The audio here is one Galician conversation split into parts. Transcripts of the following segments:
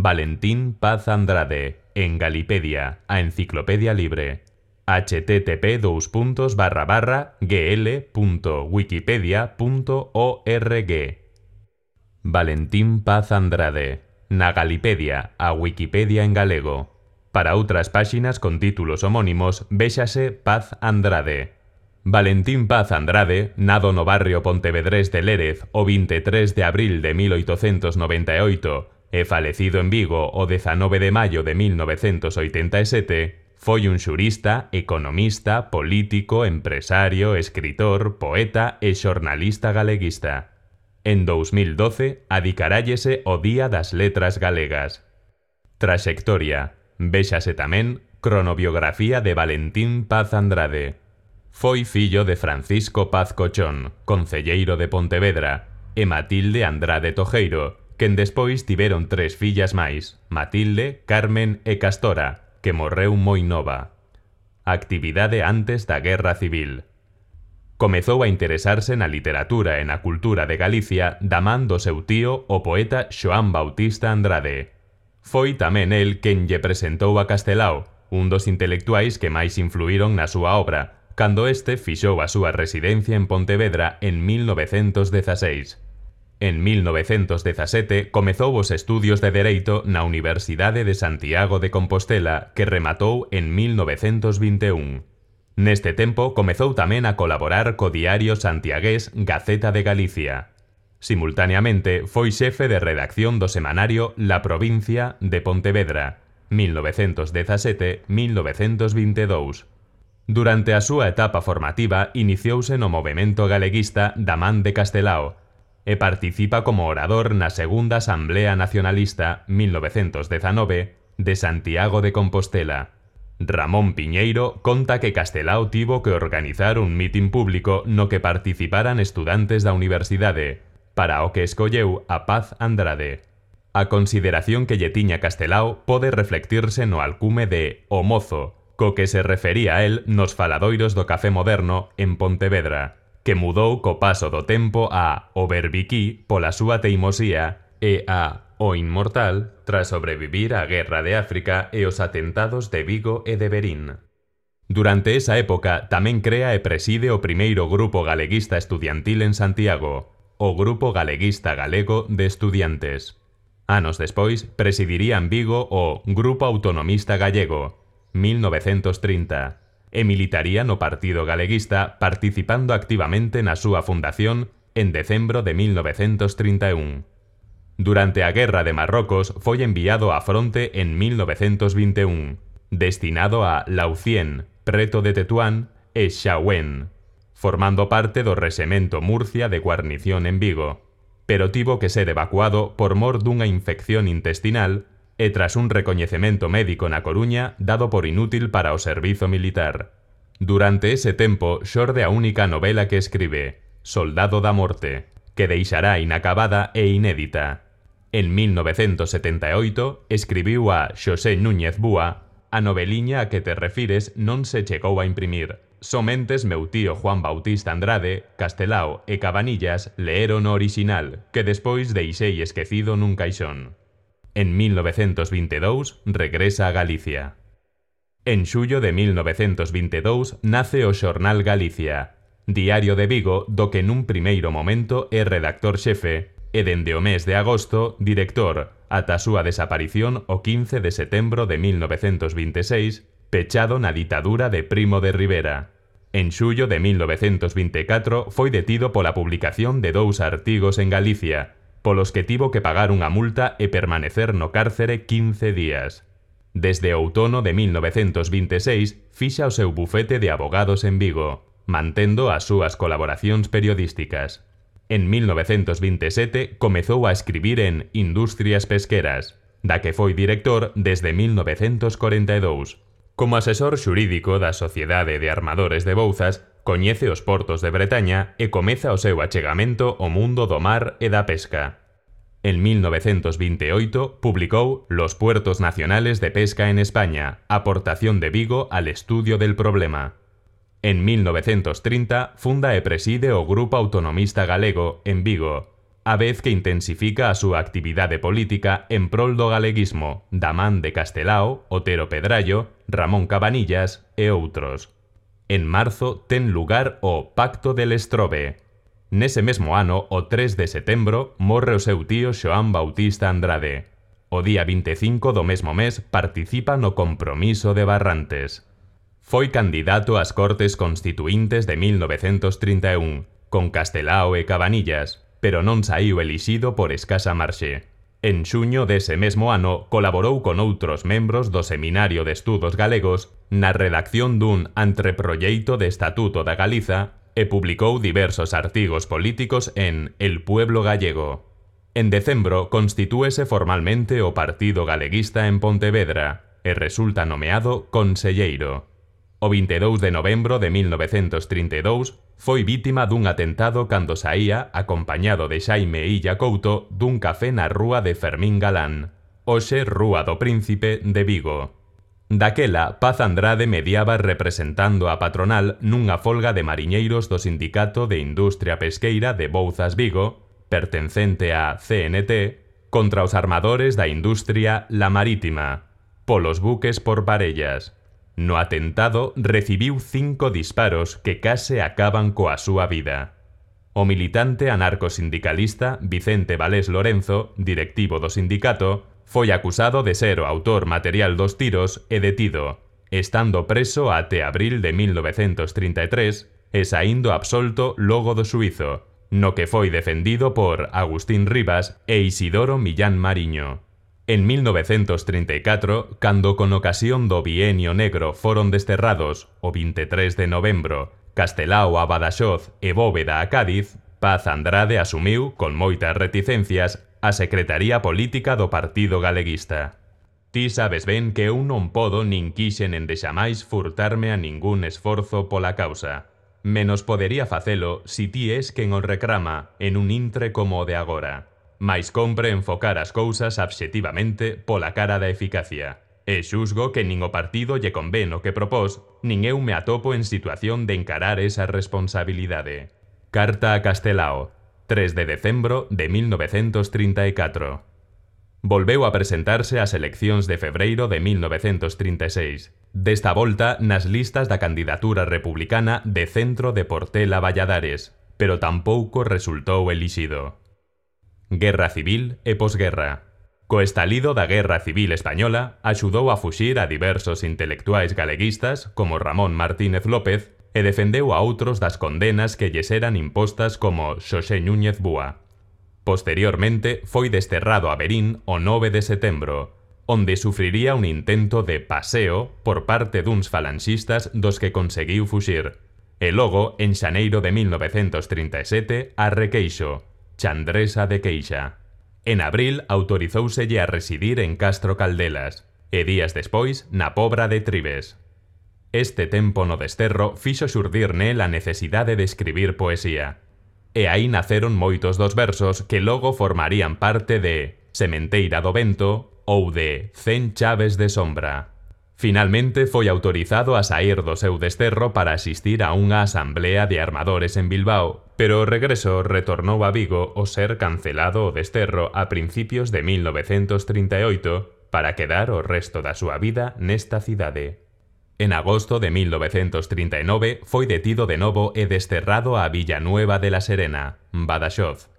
Valentín Paz Andrade, en Galipedia, a Enciclopedia Libre. http://gl.wikipedia.org. Valentín Paz Andrade, na Galipedia, a Wikipedia en galego. Para outras páxinas con títulos homónimos, véxase Paz Andrade. Valentín Paz Andrade, nado no barrio pontevedrés de Lérez o 23 de abril de 1898 e falecido en Vigo o 19 de maio de 1987, foi un xurista, economista, político, empresario, escritor, poeta e xornalista galeguista. En 2012, adicarállese o Día das Letras Galegas. Traxectoria. Véxase tamén Cronobiografía de Valentín Paz Andrade. Foi fillo de Francisco Paz Cochón, concelleiro de Pontevedra, e Matilde Andrade Tojeiro, quen despois tiveron 3 fillas máis, Matilde, Carmen e Castora, que morreu moi nova. Actividade antes da Guerra Civil. Comezou a interesarse na literatura e na cultura de Galicia da man do seu tío, o poeta Xoán Bautista Andrade. Foi tamén el quen lle presentou a Castelao, un dos intelectuais que máis influíron na súa obra, cando este fixou a súa residencia en Pontevedra en 1916. En 1917 comezou os estudios de Dereito na Universidade de Santiago de Compostela, que rematou en 1921. Neste tempo comezou tamén a colaborar co diario santiagués Gaceta de Galicia. Simultaneamente foi xefe de redacción do semanario La Provincia de Pontevedra, 1917-1922. Durante a súa etapa formativa iniciouse no movemento galeguista da man de Castelao e participa como orador na Segunda Asamblea Nacionalista 1919 de Santiago de Compostela. Ramón Piñeiro conta que Castelao tivo que organizar un mitin público no que participaran estudantes da universidade, para o que escolleu a Paz Andrade. A consideración que lle tiña Castelao pode reflectirse no alcume de O Mozo, co que se refería a él nos faladoiros do Café Moderno en Pontevedra, que mudou co paso do tempo a O Berbiquí pola súa teimosía e a O Inmortal tras sobrevivir á Guerra de África e os atentados de Vigo e de Verín. Durante esa época tamén crea e preside o primeiro grupo galeguista estudiantil en Santiago, o Grupo Galeguista Galego de Estudiantes. Anos despois presidiría en Vigo o Grupo Autonomista Gallego, 1930, e militaría no Partido Galeguista participando activamente na súa fundación en decembro de 1931. Durante a Guerra de Marrocos foi enviado á fronte en 1921, destinado a Laucien, preto de Tetuán, e Xahuén, formando parte do Rexemento Murcia de guarnición en Vigo, pero tivo que ser evacuado por mor dunha infección intestinal e tras un recoñecemento médico na Coruña dado por inútil para o servizo militar. Durante ese tempo xorde a única novela que escribe, Soldado da Morte, que deixará inacabada e inédita. En 1978 escribiu a Xosé Núñez Búa a noveliña a que te refires non se chegou a imprimir. Somentes meu tío Juan Bautista Andrade, Castelao e Cabanillas leeron o orixinal, que despois deixei esquecido nun caixón. En 1922 regresa a Galicia. En xullo de 1922 nace o xornal Galicia, diario de Vigo do que nun primeiro momento é redactor xefe e dende o mes de agosto director ata a súa desaparición o 15 de setembro de 1926, pechado na ditadura de Primo de Rivera. En xullo de 1924 foi detido pola publicación de 2 artigos en Galicia, polos que tivo que pagar unha multa e permanecer no cárcere 15 días. Desde outono de 1926 fixa o seu bufete de abogados en Vigo, mantendo as súas colaboracións periodísticas. En 1927 comezou a escribir en Industrias Pesqueras, da que foi director desde 1942. Como asesor xurídico da Sociedade de Armadores de Bouzas, coñece os portos de Bretaña e comeza o seu achegamento ao mundo do mar e da pesca. En 1928 publicou Los puertos nacionales de pesca en España, aportación de Vigo al estudio del problema. En 1930 funda e preside o Grupo Autonomista Galego en Vigo, a vez que intensifica a súa actividade política en prol do galeguismo da man de Castelao, Otero Pedrallo, Ramón Cabanillas e outros. En marzo ten lugar o Pacto del Estrobe. Nese mesmo ano, o 3 de setembro, morre o seu tío Xoán Bautista Andrade. O día 25 do mesmo mes participa no Compromiso de Barrantes. Foi candidato ás Cortes Constituíntes de 1931, con Castelao e Cabanillas, pero non saíu elixido por escasa marxe. En xuño dese mesmo ano colaborou con outros membros do Seminario de Estudos Galegos na redacción dun anteproxeito de Estatuto da Galiza e publicou diversos artigos políticos en El Pueblo Gallego. En decembro constitúese formalmente o Partido Galeguista en Pontevedra e resulta nomeado conselleiro. O 22 de novembro de 1932 foi vítima dun atentado cando saía, acompañado de Xaime Illa Couto, dun café na rúa de Fermín Galán, hoxe Rúa do Príncipe de Vigo. Daquela, Paz Andrade mediaba representando a patronal nunha folga de mariñeiros do Sindicato de Industria Pesqueira de Bouzas Vigo, pertencente á CNT, contra os armadores da industria La Marítima, polos buques por parellas. No atentado recibiu 5 disparos que case acaban coa súa vida. O militante anarcosindicalista Vicente Valés Lorenzo, directivo do sindicato, foi acusado de ser o autor material dos tiros e detido, estando preso até abril de 1933 e saindo absolto logo do xuízo, no que foi defendido por Agustín Rivas e Isidoro Millán Mariño. En 1934, cando con ocasión do Bienio Negro foron desterrados, o 23 de novembro, Castelao a Badaxoz e Bóveda a Cádiz, Paz Andrade asumiu, con moitas reticencias, a Secretaría Política do Partido Galeguista. Ti sabes ben que eu non podo nin quixen endexamais furtarme a ningún esforzo pola causa. Menos podería facelo si ti es quen o recrama en un intre como o de agora. Mais compre enfocar as cousas obxectivamente pola cara da eficacia. E xusgo que nin o partido lle convén o que propós, nin eu me atopo en situación de encarar esa responsabilidade. Carta a Castelao, 3 de decembro de 1934. Volveu a presentarse ás eleccións de febreiro de 1936, desta volta nas listas da candidatura republicana de Centro de Portela Valladares, pero tampouco resultou elixido. Guerra civil e posguerra. Co estalido da Guerra Civil Española, axudou a fuxir a diversos intelectuais galeguistas como Ramón Martínez López e defendeu a outros das condenas que lles eran impostas como Xosé Núñez Búa. Posteriormente, foi desterrado a Verín o 9 de setembro, onde sufriría un intento de paseo por parte duns falanxistas dos que conseguiu fuxir, e logo, en xaneiro de 1937, a Requeixo, Chandresa de Queixa. En abril autorizóuselle a residir en Castro Caldelas e días despois na Pobra de Tribes. Este tempo no desterro fixo xurdir nel a necesidade de escribir poesía. E aí naceron moitos dos versos que logo formarían parte de Sementeira do Vento ou de 100 chaves de sombra. Finalmente foi autorizado a saír do seu desterro para asistir a unha asamblea de armadores en Bilbao, pero o regreso retornou a Vigo ao ser cancelado o desterro a principios de 1938 para quedar o resto da súa vida nesta cidade. En agosto de 1939 foi detido de novo e desterrado a Villanueva de la Serena, Badaxoz.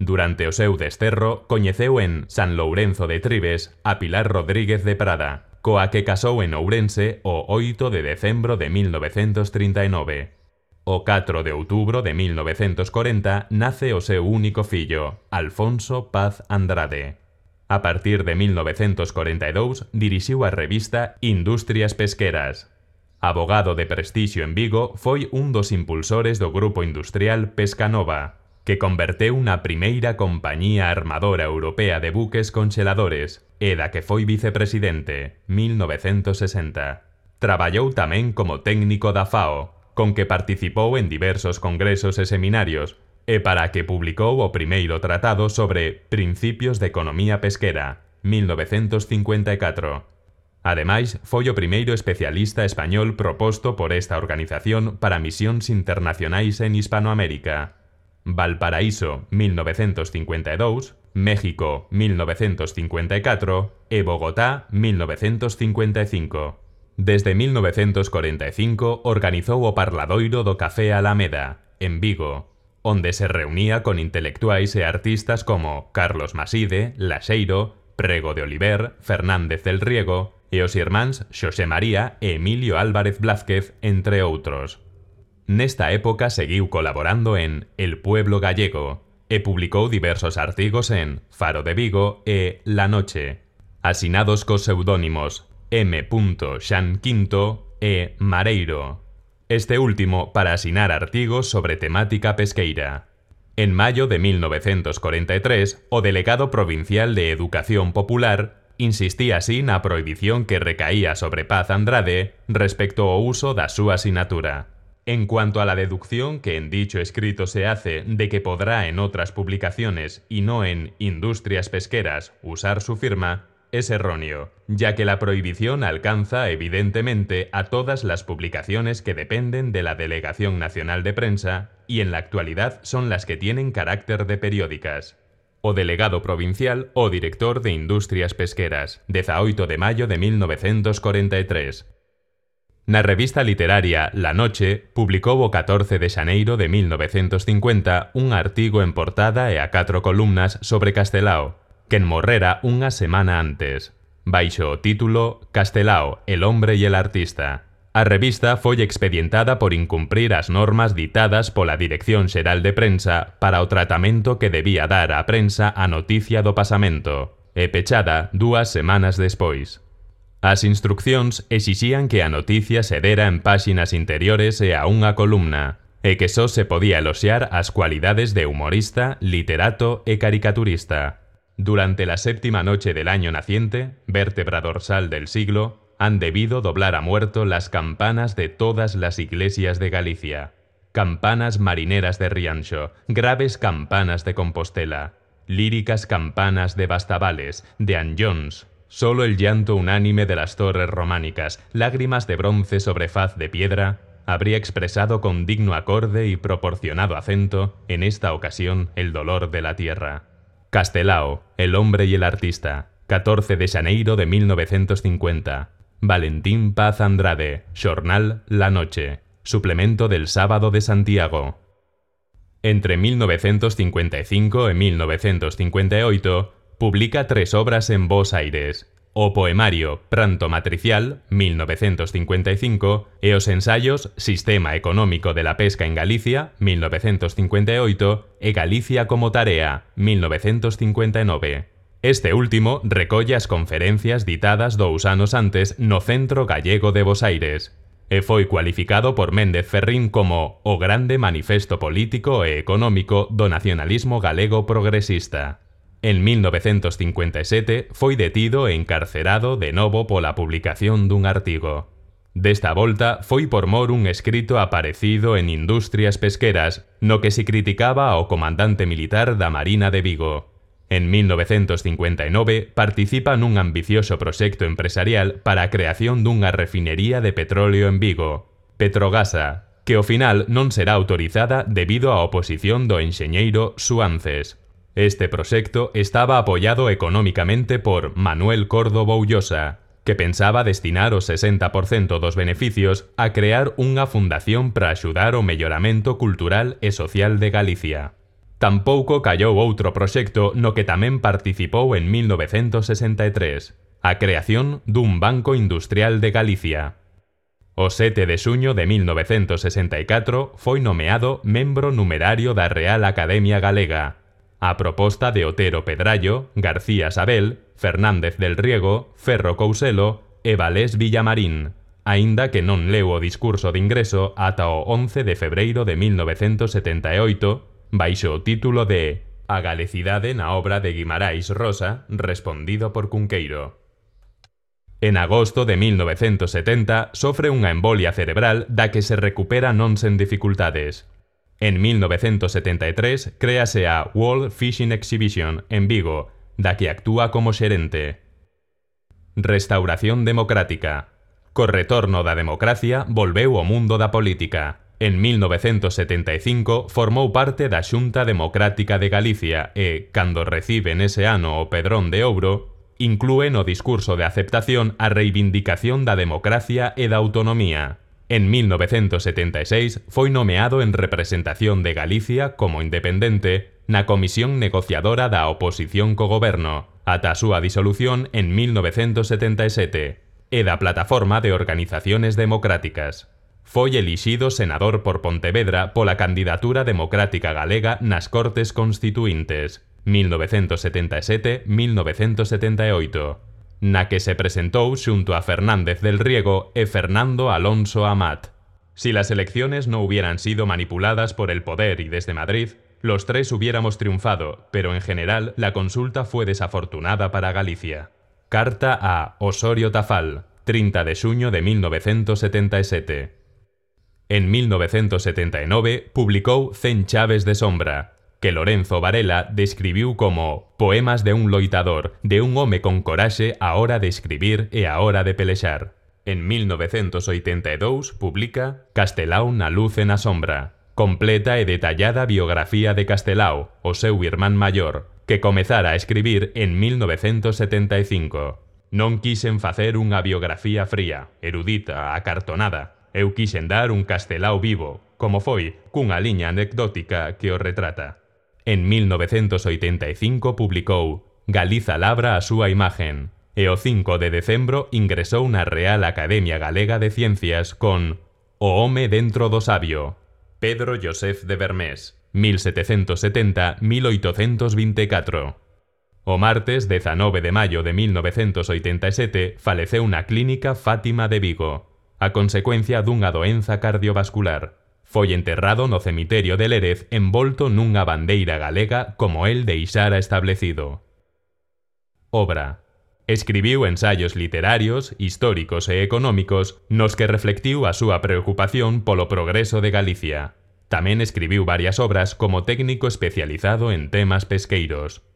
Durante o seu desterro, coñeceu en San Lourenzo de Tribes a Pilar Rodríguez de Prada, coa que casou en Ourense o 8 de decembro de 1939. O 4 de outubro de 1940 nace o seu único fillo, Alfonso Paz Andrade. A partir de 1942 dirixiu a revista Industrias Pesqueras. Abogado de prestixio en Vigo, foi un dos impulsores do grupo industrial Pescanova, que converteu na primeira compañía armadora europea de buques conxeladores e da que foi vicepresidente, 1960. Traballou tamén como técnico da FAO, con que participou en diversos congresos e seminarios, e para a que publicou o primeiro tratado sobre Principios de Economía Pesquera, 1954. Ademais, foi o primeiro especialista español proposto por esta organización para misións internacionais en Hispanoamérica. Valparaíso 1952, México 1954 e Bogotá 1955. Desde 1945 organizou o Parladoiro do Café Alameda, en Vigo, onde se reunía con intelectuais e artistas como Carlos Maside, Laxeiro, Prego de Oliver, Fernández del Riego e os irmáns Xosé María e Emilio Álvarez Blázquez, entre outros. Nesta época seguiu colaborando en El Pueblo Gallego e publicou diversos artigos en Faro de Vigo e La Noche, asinados cos pseudónimos M. Xanquinto e Mareiro, este último para asinar artigos sobre temática pesqueira. En maio de 1943, o delegado provincial de Educación Popular insistía así na prohibición que recaía sobre Paz Andrade respecto ao uso da súa sinatura. En cuanto a la deducción que en dicho escrito se hace de que podrá en otras publicaciones y no en Industrias Pesqueras usar su firma, es erróneo, ya que la prohibición alcanza evidentemente a todas las publicaciones que dependen de la Delegación Nacional de Prensa y en la actualidad son las que tienen carácter de periódicas. O delegado provincial o director de Industrias Pesqueras, 18 de mayo de 1943. Na revista literaria La Noche publicou o 14 de xaneiro de 1950 un artigo en portada e a 4 columnas sobre Castelao, quen morrera unha semana antes, baixo o título Castelao, el hombre y el artista. A revista foi expedientada por incumprir as normas ditadas pola Dirección Xeral de Prensa para o tratamento que debía dar á prensa a noticia do pasamento, e pechada 2 semanas despois. As instruccións exixían que a noticia se dera en páxinas interiores e a unha columna, e que só se podía eloxiar as cualidades de humorista, literato e caricaturista. Durante la 7ª noche del año naciente, vértebra dorsal del siglo, han debido doblar a muerto las campanas de todas las iglesias de Galicia. Campanas marineras de Rianxo, graves campanas de Compostela, líricas campanas de Bastavales, de Anllóns. Solo el llanto unánime de las torres románicas, lágrimas de bronce sobre faz de piedra, habría expresado con digno acorde y proporcionado acento, en esta ocasión, el dolor de la tierra. Castelao, el hombre y el artista, 14 de xaneiro de 1950. Valentín Paz Andrade, xornal La Noche, suplemento del Sábado de Santiago. Entre 1955 e 1958, publica 3 obras en Bos Aires, o poemario Pranto Matricial, 1955, e os ensayos Sistema Económico de la Pesca en Galicia, 1958, e Galicia como Tarea, 1959. Este último recolle as conferencias ditadas 2 anos antes no Centro Gallego de Bos Aires, e foi cualificado por Méndez Ferrín como o grande manifesto político e económico do nacionalismo galego progresista. En 1957 foi detido e encarcerado de novo pola publicación dun artigo. Desta volta foi por mor un escrito aparecido en Industrias Pesqueras no que se criticaba ao comandante militar da Marina de Vigo. En 1959 participa nun ambicioso proxecto empresarial para a creación dunha refinería de petróleo en Vigo, Petrogasa, que ao final non será autorizada debido á oposición do enxeñeiro Suances. Este proxecto estaba apoiado económicamente por Manuel Córdoba Ullosa, que pensaba destinar o 60% dos beneficios a crear unha fundación para axudar o melloramento cultural e social de Galicia. Tampouco callou outro proxecto no que tamén participou en 1963, a creación dun Banco Industrial de Galicia. O 7 de xuño de 1964 foi nomeado membro numerario da Real Academia Galega, a proposta de Otero Pedrallo, García Sabel, Fernández del Riego, Ferro Couselo e Valés Villamarín, aínda que non leu o discurso de ingreso ata o 11 de febreiro de 1978, baixo o título de A galecidade na obra de Guimarães Rosa, respondido por Cunqueiro. En agosto de 1970 sofre unha embolia cerebral da que se recupera non sen dificultades. En 1973 créase a World Fishing Exhibition en Vigo, da que actúa como xerente. Restauración democrática. Co retorno da democracia volveu o mundo da política. En 1975 formou parte da Xunta Democrática de Galicia e, cando recibe nese ano o Pedrón de Ouro, inclúe no discurso de aceptación a reivindicación da democracia e da autonomía. En 1976 foi nomeado en representación de Galicia como independente na Comisión Negociadora da Oposición co Goberno, ata a súa disolución en 1977, e da Plataforma de Organizaciones Democráticas. Foi elixido senador por Pontevedra pola candidatura democrática galega nas Cortes Constituíntes, 1977-1978, na que se presentou xunto a Fernández del Riego e Fernando Alonso Amat. Si las elecciones no hubieran sido manipuladas por el poder y desde Madrid, los tres hubiéramos triunfado, pero en general la consulta fue desafortunada para Galicia. Carta a Osorio Tafal, 30 de xuño de 1977. En 1979 publicou 100 chaves de sombra, que Lorenzo Varela describiu como poemas de un loitador, de un home con coraxe á hora de escribir e á hora de pelexar. En 1982 publica Castelao na luz e na sombra, completa e detallada biografía de Castelao, o seu irmán maior, que comezara a escribir en 1975. Non quixen facer unha biografía fría, erudita, acartonada. Eu quixen dar un Castelao vivo, como foi, cunha liña anecdótica que o retrata. En 1985 publicou Galiza labra a súa imagen, e o 5 de decembro ingresou na Real Academia Galega de Ciencias con O home dentro do sabio, Pedro Joseph de Vermés, 1770-1824. O martes 19 de maio de 1987 faleceu na clínica Fátima de Vigo, a consecuencia dunha doenza cardiovascular. Foi enterrado no cemiterio de Lérez envolto nunha bandeira galega como el deixara establecido. Obra. Escribiu ensaios literarios, históricos e económicos nos que reflectiu a súa preocupación polo progreso de Galicia. Tamén escribiu varias obras como técnico especializado en temas pesqueiros.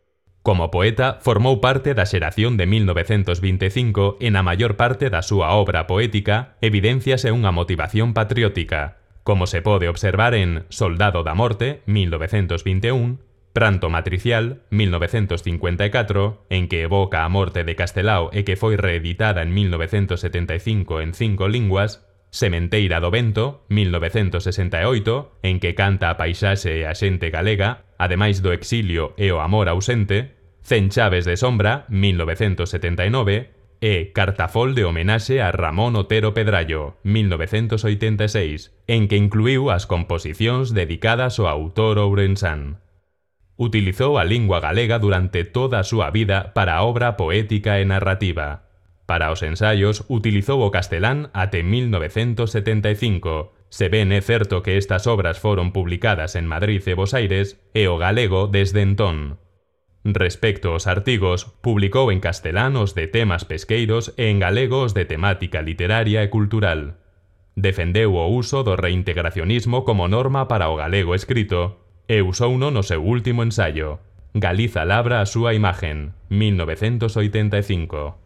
Como poeta, formou parte da xeración de 1925 e na maior parte da súa obra poética evidénciase unha motivación patriótica, como se pode observar en Soldado da Morte, 1921, Pranto Matricial, 1954, en que evoca a morte de Castelao e que foi reeditada en 1975 en 5 linguas, Sementeira do Vento, 1968, en que canta a paisaxe e a xente galega, ademais do exilio e o amor ausente, 100 chaves de sombra, 1979, e Cartafol de homenaxe a Ramón Otero Pedrallo, 1986, en que incluíu as composicións dedicadas ao autor ourensán. Utilizou a lingua galega durante toda a súa vida para a obra poética e narrativa. Para os ensaios utilizou o castelán até 1975, se ben é certo que estas obras foron publicadas en Madrid e Bos Aires, e o galego desde entón. Respecto aos artigos, publicou en castelán os de temas pesqueiros e en galego os de temática literaria e cultural. Defendeu o uso do reintegracionismo como norma para o galego escrito e usouno no seu último ensaio, Galiza labra a súa imagen, 1985.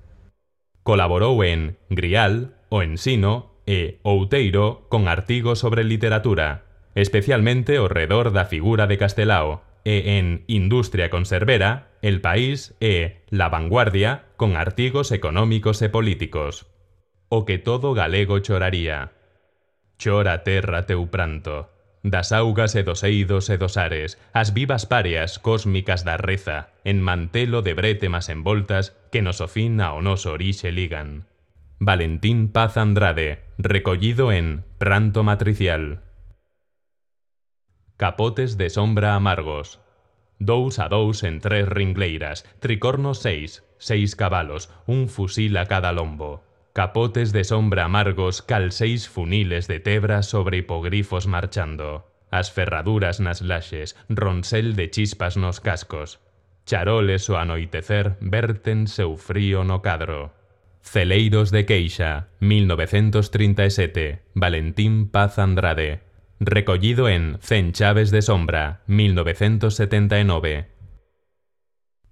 Colaborou en Grial, O Ensino e Outeiro con artigos sobre literatura, especialmente ao redor da figura de Castelao, e en Industria Conservera, El País e La Vanguardia con artigos económicos e políticos. O que todo galego choraría. Chora terra teu pranto, das augas e dos eidos e dos ares, as vivas páreas cósmicas da reza, en mantelo de brétemas envoltas que nos o fin ao noso orixe ligan. Valentín Paz Andrade, recollido en Pranto Matricial. Capotes de sombra amargos. 2 a 2 en 3 ringleiras, tricornos 6, 6 cabalos, un fusil a cada lombo. Capotes de sombra amargos cal 6 funiles de tebra sobre hipogrifos marchando. As ferraduras nas laxes, ronsel de chispas nos cascos. Charoles ao anoitecer verten seu frío no cadro. Celeiros de queixa, 1937, Valentín Paz Andrade. Recollido en 100 chaves de sombra, 1979.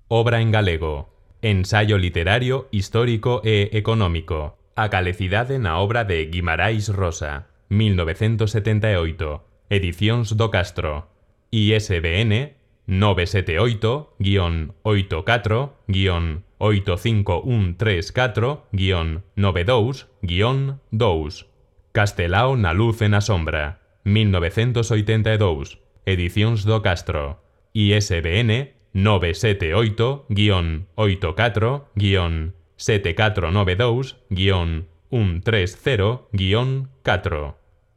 Obra en galego. Ensaio literario, histórico e económico. A galecidade na obra de Guimarães Rosa. 1978, Edicions do Castro. ISBN 978-84134-922-2. Castelao na luz e na sombra. 1982, Edicions do Castro. ISBN 978-84-7492-130-4.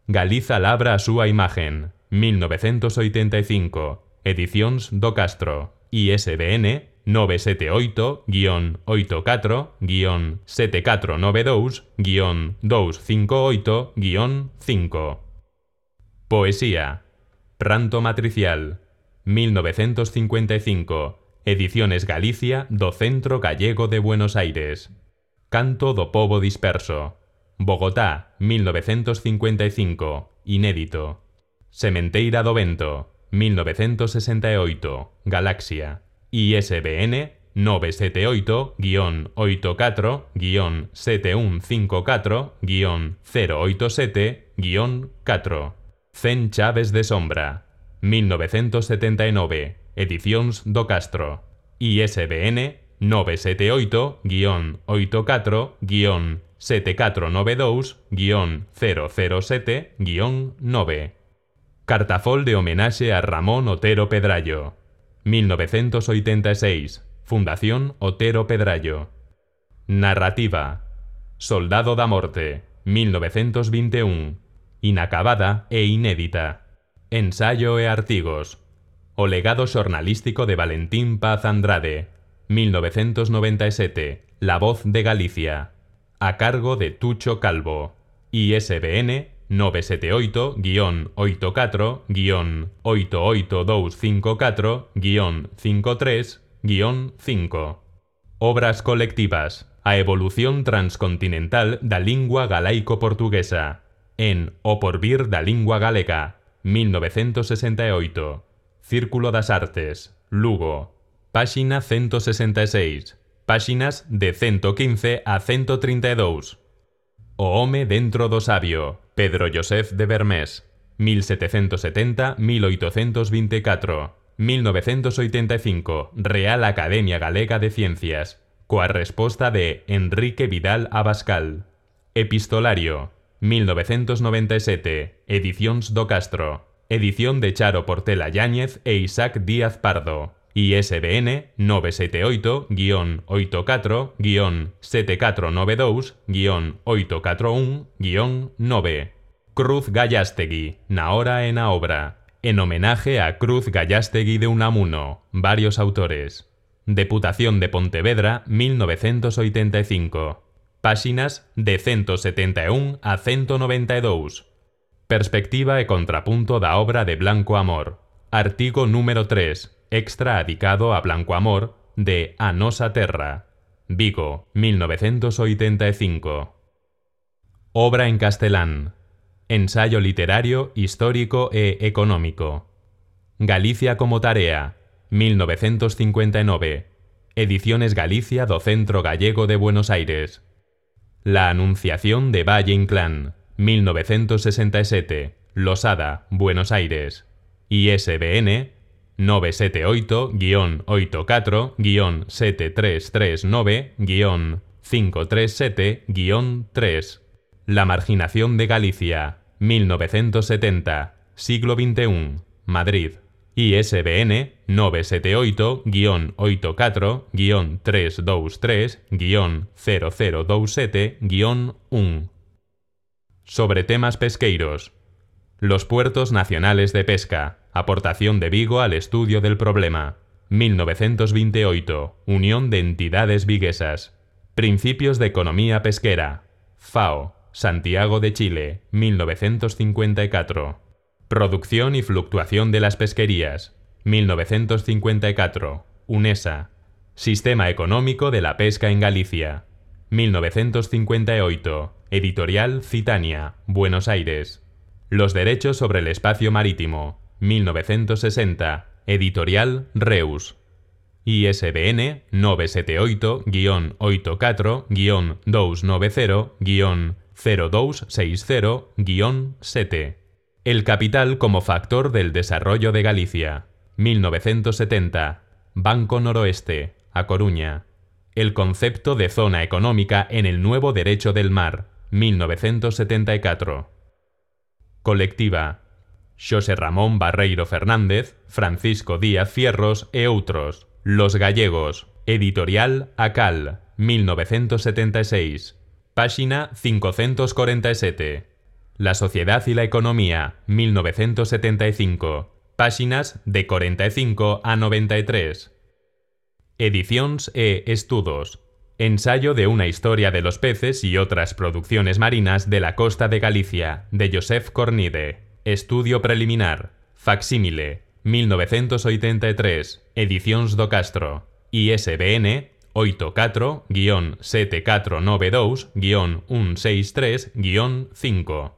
Galiza labra a súa imagen. 1985, Edicións do Castro. ISBN 978-84-7492-258-5. Poesía. Pranto matricial. 1955, Ediciones Galicia do Centro Gallego de Buenos Aires. Canto do pobo disperso. Bogotá, 1955, inédito. Sementeira do Vento, 1968, Galaxia. ISBN 978-84-7154-087-4. 100 chaves de sombra. 1979, Edicións do Castro. ISBN 978-84-7492-007-9. Cartafol de homenaxe a Ramón Otero Pedrallo. 1986, Fundación Otero Pedrallo. Narrativa. Soldado da Morte, 1921, inacabada e inédita. Ensayo e artigos. O legado xornalístico de Valentín Paz Andrade, 1997, La Voz de Galicia, a cargo de Tucho Calvo. ISBN 978-88254-535-5. Obras colectivas. A evolución transcontinental da lingua galaico-portuguesa. En O porvir da lingua galega, 1968. Círculo das Artes, Lugo. Páxina 166. Páxinas de 115 a 132. O home dentro do sabio, Pedro Joseph de Vermés, 1770-1824. 1985, Real Academia Galega de Ciencias, coa resposta de Enrique Vidal Abascal. Epistolario, 1997, Edicións do Castro. Edición de Charo Portela Yáñez e Isaac Díaz Pardo. ISBN 978-84-7492-841-9. Cruz Gallastegui, na hora e na obra. En homenaje a Cruz Gallastegui de Unamuno, varios autores. Deputación de Pontevedra, 1985. Páxinas de 171 a 192. Perspectiva e contrapunto da obra de Blanco Amor. Artigo número 3. Extra adicado a Blanco Amor de A Nosa Terra. Vigo, 1985. Obra en castelán. Ensayo literario, histórico e económico. Galicia como tarea, 1959. Ediciones Galicia do Centro Gallego de Buenos Aires. La Anunciación de Valle Inclán, 1967. Losada, Buenos Aires. ISBN 978-84-7339-537-3. La marginación de Galicia, 1970, siglo XXI, Madrid. ISBN 978-84-323-0027-1. Sobre temas pesqueiros. Los puertos nacionales de pesca. Aportación de Vigo al estudio del problema. 1928. Unión de entidades viguesas. Principios de economía pesquera. FAO. Santiago de Chile, 1954. Producción y fluctuación de las pesquerías. 1954. UNESA. Sistema económico de la pesca en Galicia. 1958. Editorial Citania, Buenos Aires. Los derechos sobre el espacio marítimo. 1960. Editorial Reus. ISBN 978-84-290- 0260-7. El capital como factor del desarrollo de Galicia. 1970. Banco Noroeste, A Coruña. El concepto de zona económica en el nuevo derecho del mar. 1974. Colectiva. Xosé Ramón Barreiro Fernández, Francisco Díaz Fierros e outros. Los Gallegos. Editorial Acal. 1976. Página 547. La sociedad y la economía. 1975. Páginas de 45 a 93. Edicións e Estudos. Ensayo de una historia de los peces y otras producciones marinas de la costa de Galicia, de Josep Cornide. Estudio preliminar. Facsímile. 1983. Edicións do Castro. ISBN 84-7492-163-5.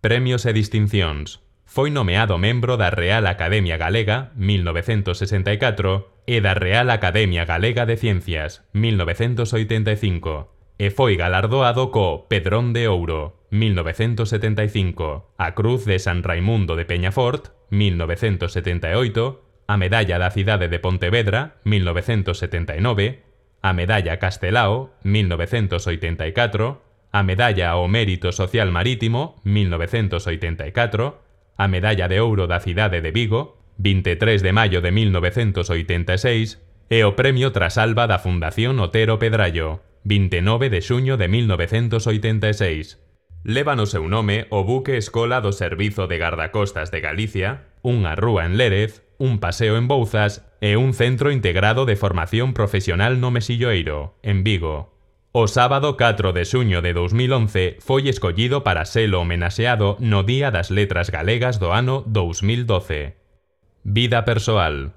Premios e distincións. Foi nomeado membro da Real Academia Galega, 1964, e da Real Academia Galega de Ciencias, 1985, e foi galardoado co Pedrón de Ouro, 1975, a Cruz de San Raimundo de Peñafort, 1978, a Medalla da Cidade de Pontevedra, 1979, a Medalla Castelao, 1984, a Medalla ao Mérito Social Marítimo, 1984, a Medalla de Ouro da Cidade de Vigo, 23 de maio de 1986, e o Premio Trasalba da Fundación Otero Pedrallo, 29 de xuño de 1986. Leva no seu nome o buque escola do Servizo de Gardacostas de Galicia, unha rúa en Lérez, un paseo en Bouzas e un centro integrado de formación profesional no Mesilloeiro, en Vigo. O sábado 4 de xuño de 2011 foi escollido para selo homenaxeado no Día das Letras Galegas do ano 2012. Vida persoal.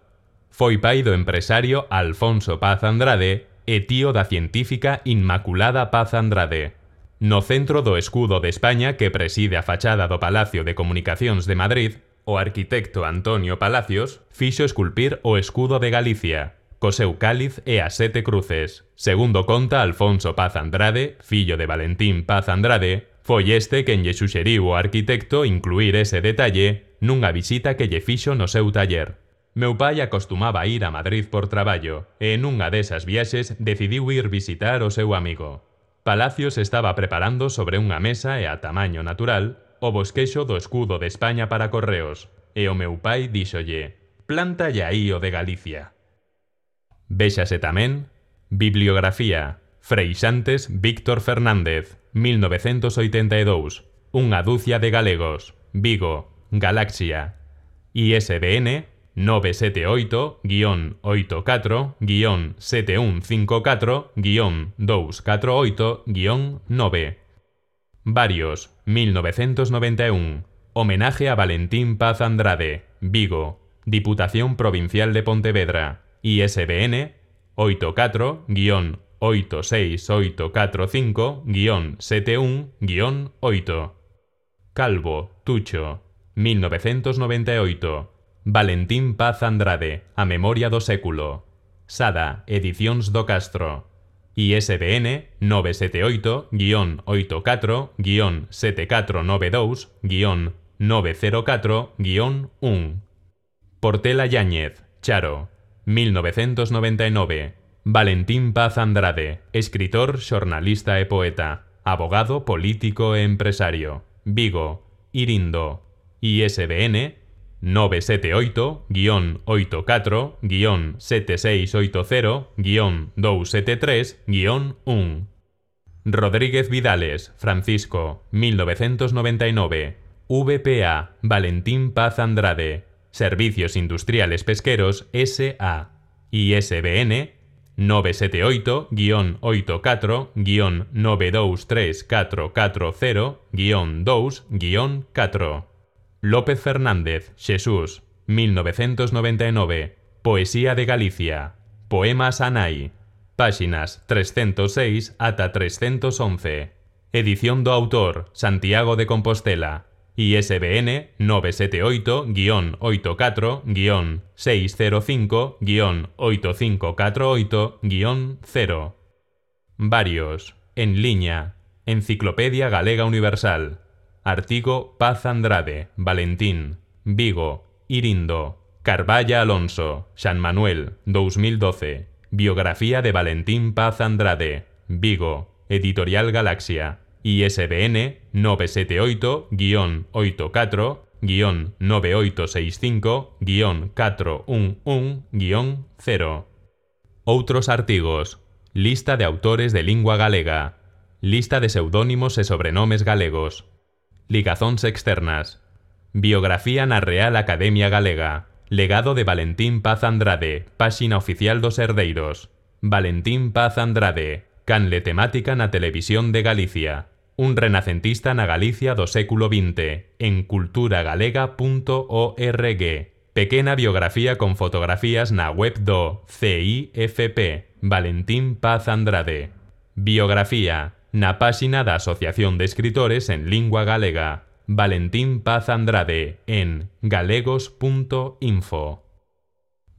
Foi pai do empresario Alfonso Paz Andrade e tío da científica Inmaculada Paz Andrade. No centro do escudo de España que preside a fachada do Palacio de Comunicacións de Madrid, o arquitecto Antonio Palacios fixo esculpir o escudo de Galicia, co seu cáliz e as 7 cruces. Segundo conta Alfonso Paz Andrade, fillo de Valentín Paz Andrade, foi este quen lle suxeriu ao arquitecto incluir ese detalle nunha visita que lle fixo no seu taller. Meu pai acostumaba a ir a Madrid por traballo e nunha desas viaxes decidiu ir visitar o seu amigo. Palacios estaba preparando sobre unha mesa e a tamaño natural o bosquexo do escudo de España para correos e o meu pai díxolle: "Plántalle aí o de Galicia". Véxase tamén Bibliografía. Freixantes Víctor Fernández, 1982. Unha dúcia de galegos. Vigo, Galaxia. ISBN 978-84-7154-248-9. Varios, 1991. Homenaje a Valentín Paz Andrade, Vigo, Diputación Provincial de Pontevedra. ISBN 84-86845-71-8. Calvo, Tucho, 1998. Valentín Paz Andrade, A Memoria do Século. Sada, Edicións do Castro. ISBN 978-84-7492-904-1. Portela Yáñez, Charo, 1999. Valentín Paz Andrade, escritor, xornalista e poeta, abogado, político e empresario. Vigo, Irindo. ISBN 978-84-7680-273-1. Rodríguez Vidales, Francisco, 1999. VPA, Valentín Paz Andrade, Servicios Industriales Pesqueros S.A. ISBN 978-884-923-440-2-4. López Fernández, Xesús, 1999. Poesía de Galicia. Poemas Anai. Páxinas 306 ata 311. Edición do autor, Santiago de Compostela. ISBN 978-84-605-8548-0. Varios. En liña. Enciclopedia Galega Universal. Artigo Paz Andrade, Valentín, Vigo, Irindo, Carballa Alonso, San Manuel, 2012. Biografía de Valentín Paz Andrade, Vigo, Editorial Galaxia. ISBN 978-9865-411-0. Outros artigos. Lista de autores de lingua galega. Lista de pseudónimos e sobrenomes galegos. Ligazóns externas. Biografía na Real Academia Galega. Legado de Valentín Paz Andrade, páxina oficial dos Herdeiros. Valentín Paz Andrade, canle temática na Televisión de Galicia. Un renacentista na Galicia do século XX, en culturagalega.org. Pequena biografía con fotografías na web do CIFP, Valentín Paz Andrade. Biografía na páxina da Asociación de Escritores en Lingua Galega, Valentín Paz Andrade, en galegos.info.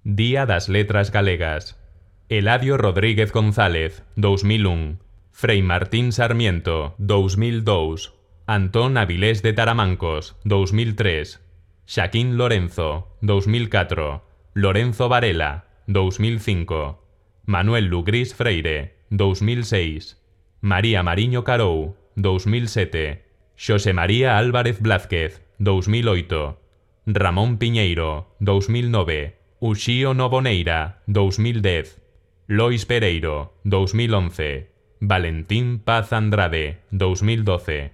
Día das Letras Galegas. Eladio Rodríguez González, 2001. Frei Martín Sarmiento, 2002. Antón Avilés de Taramancos, 2003. Xaquín Lorenzo, 2004. Lorenzo Varela, 2005. Manuel Lugrís Freire, 2006. María Mariño Carou, 2007. Xosé María Álvarez Blázquez, 2008. Ramón Piñeiro, 2009. Uxío Novoneira, 2010. Lois Pereiro, 2011. Valentín Paz Andrade, 2012.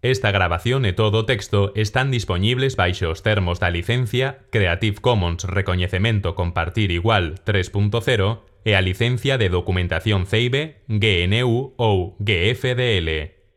Esta grabación e todo o texto están disponibles baixo os termos da licencia Creative Commons Recoñecemento Compartir Igual 3.0 e a licencia de documentación CEIB, GNU ou GFDL.